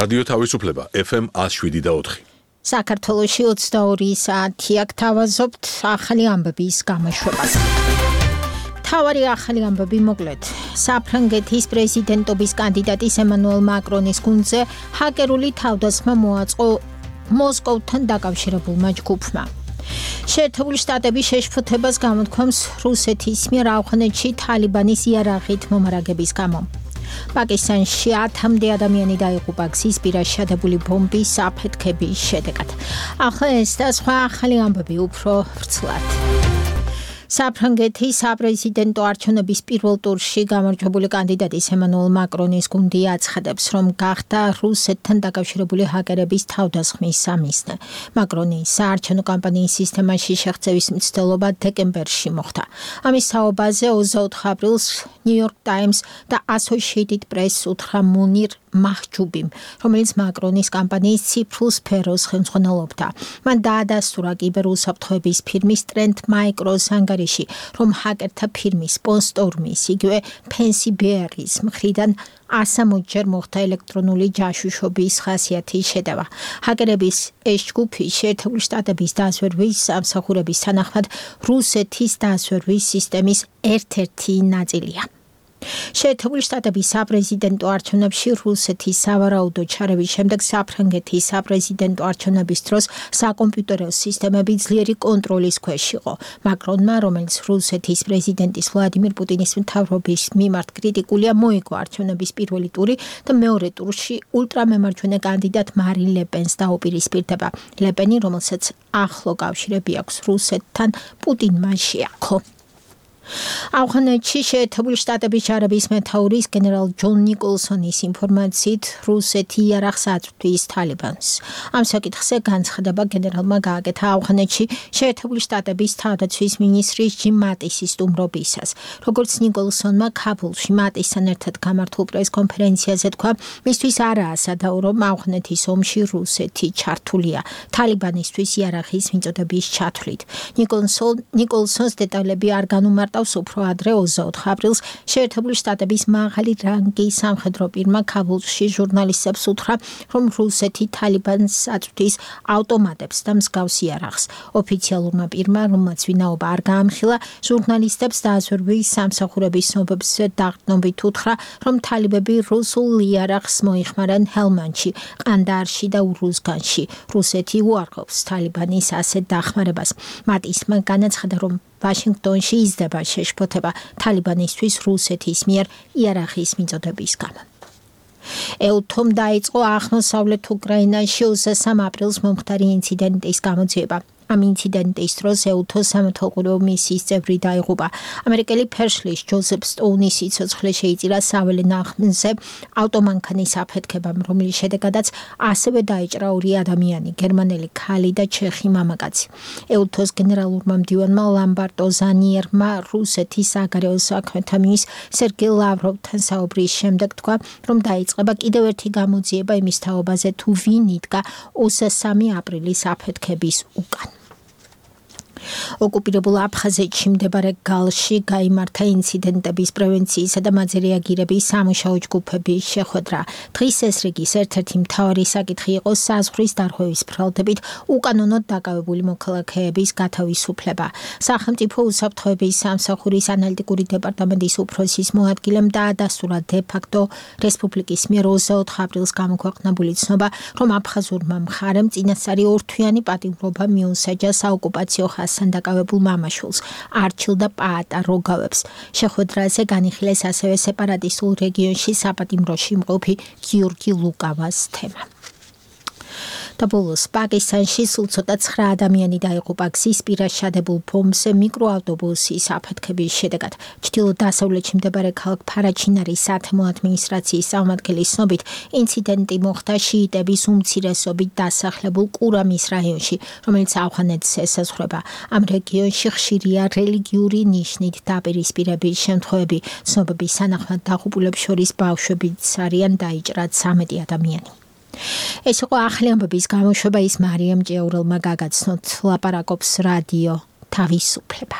რადიო თავისუფლება FM 107.4. საქართველოში 22 საათი აქ თავაზობთ ახალი ამბების გამოშვებას. თავარი ახალი ამბები მოკლედ. საფრანგეთის პრეზიდენტობის კანდიდატის ემანუელ მაკრონის გუნდზე ჰაკერული თავდასხმა მოაწყო მოსკოვთან დაკავშირებულმა ჯგუფმა. შეერთებული შტატების შეშფოთებას გამოთქვამს რუსეთის მიერ ავღანეთში თალიბანის იარაღით მომარაგების გამო. პაკისტანში 10-მდე ადამიანი დაიღუპა გზის პირას შადებული ბომბის აფეთქების შედეგად. ახლა ეს და სხვა ახალი ამბები უფრო ვრცლად. საფრანგეთის საპრეზიდენტო არჩევნების პირველ ტურში გამარჯვებული კანდიდატის ემანუელ მაკრონის გუნდი აცხადებს, რომ გახდა რუსეთთან დაკავშირებული ჰაკერების თავდასხმის სამიზნე. მაკრონის საარჩევნო კამპანიის სისტემაში შეღწევის მცდელობა დეკემბერში მოხდა. ამის თაობაზე 24 აპრილს New York Times და Associated Press უთხრა მუნირ მაჰჯუბიმ, რომელიც მაკრონის კამპანიის ციფრულ სფეროს ხელმძღვანელობდა. მან დაადასტურა კიბერუსაფრთხოების ფირმის Trend Micros ანგარიში, რომ ჰაკერთა ფირმის სპონსორმის, იგივე Fancy Bears მხრიდან 160-ჯერ მოხდა ელექტრონული ჯაშუშობის ხასიათის შედევა. ჰაკერების ეს ჯგუფი შეერთებული შტატების დაზვერვის სამსახურების თანახმად რუსეთის დაზვერვის სისტემის ერთ-ერთი ნაწილია. შეერთებული შტატების საპრეზიდენტო არჩევნებში რუსეთის სავარაუდო ჩარევის შემდეგ საფრანგეთის საპრეზიდენტო არჩევნების დროს საკომპიუტერო სისტემები ძლიერი კონტროლის ქვეშ იყო. მაკრონმა, რომელიც რუსეთის პრეზიდენტის ვლადიმირ პუტინის მთავრობის მიმართ კრიტიკულია, მოიგო არჩევნების პირველი ტური და მეორე ტურში ულტრამემარჯვენე კანდიდატ მარინ ლე პენს დაუპირისპირდება. ლე პენი, რომელსაც ახლო კავშირები აქვს რუსეთთან, პუტინმა შეაქო. ავღანეთში შეერთებული შტატების ჯარების მეთაურის გენერალ ჯონ ნიკოლსონის ინფორმაციით რუსეთი იარაღს აწვდის თალიბანს. ამ საკითხზე განცხადება გენერალმა გააკეთა ავღანეთში შეერთებული შტატების თავდაცვის მინისტრის ჯიმ მატისის სტუმრობისას. როგორც ნიკოლსონმა ქაბულში მატისთან ერთად გამართულ პრესკონფერენციაზე თქვა, მისთვის არაა სადაო, რომ ავღანეთის ომში რუსეთი ჩართულია თალიბანისთვის იარაღის მიწოდების ჩათვლით. ნიკოლსონს დეტალები არ განუმარტავს. უფრო ადრე 24 აპრილს შეერთებული შტატების მაღალი რანგის სამხედრო პირმა ქაბულში ჟურნალისტებს უთხრა, რომ რუსეთი თალიბანს აწვდის ავტომატებს და მსგავს იარაღს. ოფიციალურმა პირმა, რომელმაც ვინაობა არ გაამხილა, ჟურნალისტებს დაზვერვის სამსახურების ცნობებზე დაყრდნობით უთხრა, რომ თალიბები რუსულ იარაღს მოიხმარენ ჰელმანდში, ყანდაარში და ურუზგანში. რუსეთი უარყოფს თალიბანის ასეთ დახმარებას. მატისმა განაცხადა, რომ ვაშინგტონში იზრდება შეშფოთება თალიბანისთვის რუსეთის მიერ იარაღის მიწოდების გამო. ეუთომ დაიწყო აღმოსავლეთ უკრაინაში 23 აპრილს მომხდარი ინციდენტის გამოძიება. ამ ინციდენტის დროს ეუთოს სამეთვალყურეო მისიის წევრი დაიღუპა. ამერიკელი ფერშლის ჯოზეფ სტოუნის სიცოცხლე შეიწირა საველე ნაღმზე ავტომანქანის აფეთქებამ, რომლის შედეგადაც ასევე დაიჭრა 2 ადამიანი, გერმანელი ქალი და ჩეხი მამაკაცი. ეუთოს გენერალურმა მდივანმა ლამბარტო ზანიერმა რუსეთის საგარეო საქმეთა მინისტრ სერგეი ლავროვთან საუბრის შემდეგ თქვა, რომ დაიწყება კიდევ ერთი გამოძიება იმის თაობაზე, თუ ვინ იდგა 23 აპრილის აფეთქების უკან. ოკუპირებულ აფხაზეთში მდებარე გალში გაიმართა ინციდენტების პრევენციისა და მათზე რეაგირების სამუშაო ჯგუფების შეხვედრა. დღის ეს რიგის ერთ-ერთი მთავარი საკითხი იყო საზღვრის დარღვევის ბრალდებით უკანონოდ დაკავებული მოქალაქეების გათავისუფლება. სახელმწიფო უსაფრთხოების სამსახურის ანალიტიკური დეპარტამენტის უფროსის მოადგილემ დაადასტურა დე-ფაქტო რესპუბლიკის მიერ 24 აპრილს გამოქვეყნებული ცნობა, რომ აფხაზურმა მხარემ წინასწარი ორთვიანი პატიმრობა მიუსაჯა საოკუპაციო ხასთან დაკავებულ მამაშვილს, არჩილ და პაატა როგავებს. შეხვედრაზე განიხილეს ასევე სეპარატისტულ რეგიონში საპატიმროში მყოფი გიორგი ლუკავას თემა. და ბოლოს პაკისტანში სულ ცოტა 9 ადამიანი დაიღუპა გზის პირას შადებულ ბომბზე მიკროავტობუსის აფეთქების შედეგად. ჩრდილო-დასავლეთში მდებარე ქალაქ ფარაჩინარის სათემო ადმინისტრაციის წარმომადგენლის ცნობით, ინციდენტი მოხდა შიიტების უმცირესობით დასახლებულ კურამის რაიონში, რომელიც ავღანეთს ესაზღვრება. ამ რეგიონში ხშირია რელიგიური ნიშნით დაპირისპირების შემთხვევები. ცნობების თანახმად დაღუპულებს შორის ბავშვებიც არიან, დაიჭრა 13 ადამიანი. ეს იყო ახალი ამბების გამოშვება, ის მარიამ ჭიაურელმა გაგაცნოთ. ლაპარაკობს რადიო თავისუფლება.